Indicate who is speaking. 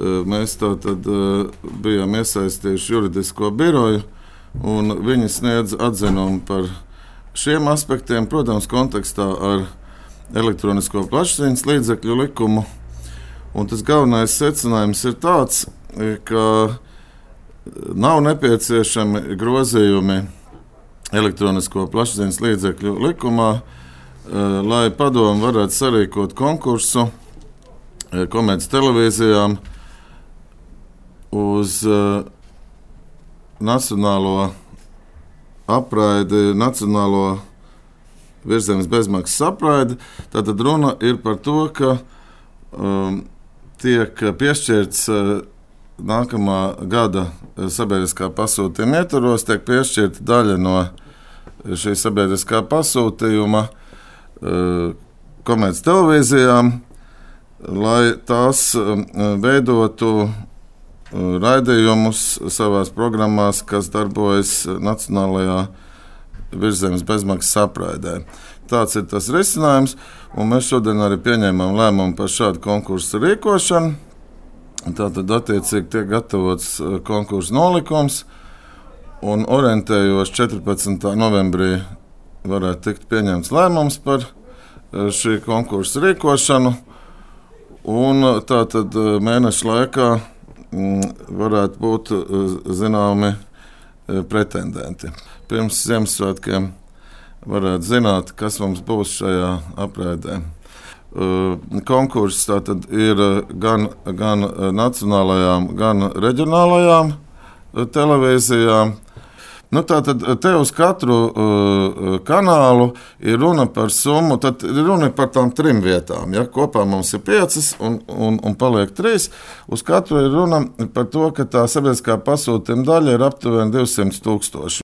Speaker 1: Mēs tātad bijām iesaistījuši juridisko biroju, un viņi sniedz atzinumu par šiem aspektiem, protams, kontekstā ar elektronisko plašsaziņas līdzekļu likumu. Un tas galvenais secinājums ir tāds, ka nav nepieciešami grozījumi elektronisko plašsaziņas līdzekļu likumā, lai Padome varētu sarīkot konkursu komerctelevīzijām uz nacionālo apraidi, nacionālo virzemes bezmaksas apraidi. Tātad runa ir par to, ka tiek piešķirts nākamā gada sabiedriskā pasūtījuma ietvaros, tiek piešķirta daļa no šī sabiedriskā pasūtījuma komerctelevīzijām, lai tās veidotu raidījumus savās programmās, kas darbojas nacionālajā virzemes bezmaksas apraidē. Tāds ir tas risinājums, un mēs šodien arī pieņēmām lēmumu par šādu konkursu rīkošanu. Tātad attiecīgi tiek gatavots konkursu nolikums, un orientējos 14. novembrī varētu tikt pieņemts lēmums par šī konkursa rīkošanu, un tātad mēneša laikā varētu būt zināmi pretendenti. Pirms Ziemassvētkiem varētu zināt, kas mums būs šajā apraidē. Konkurss tātad ir gan nacionālajām, gan reģionālajām televīzijām. Tātad te uz katru kanālu ir runa par summu, tad ir runa par tām 3 vietām. Ja? Kopā mums ir 5 un paliek 3. Uz katru ir runa par to, ka tā sabiedriskā pasūtījuma daļa ir aptuveni 200 000.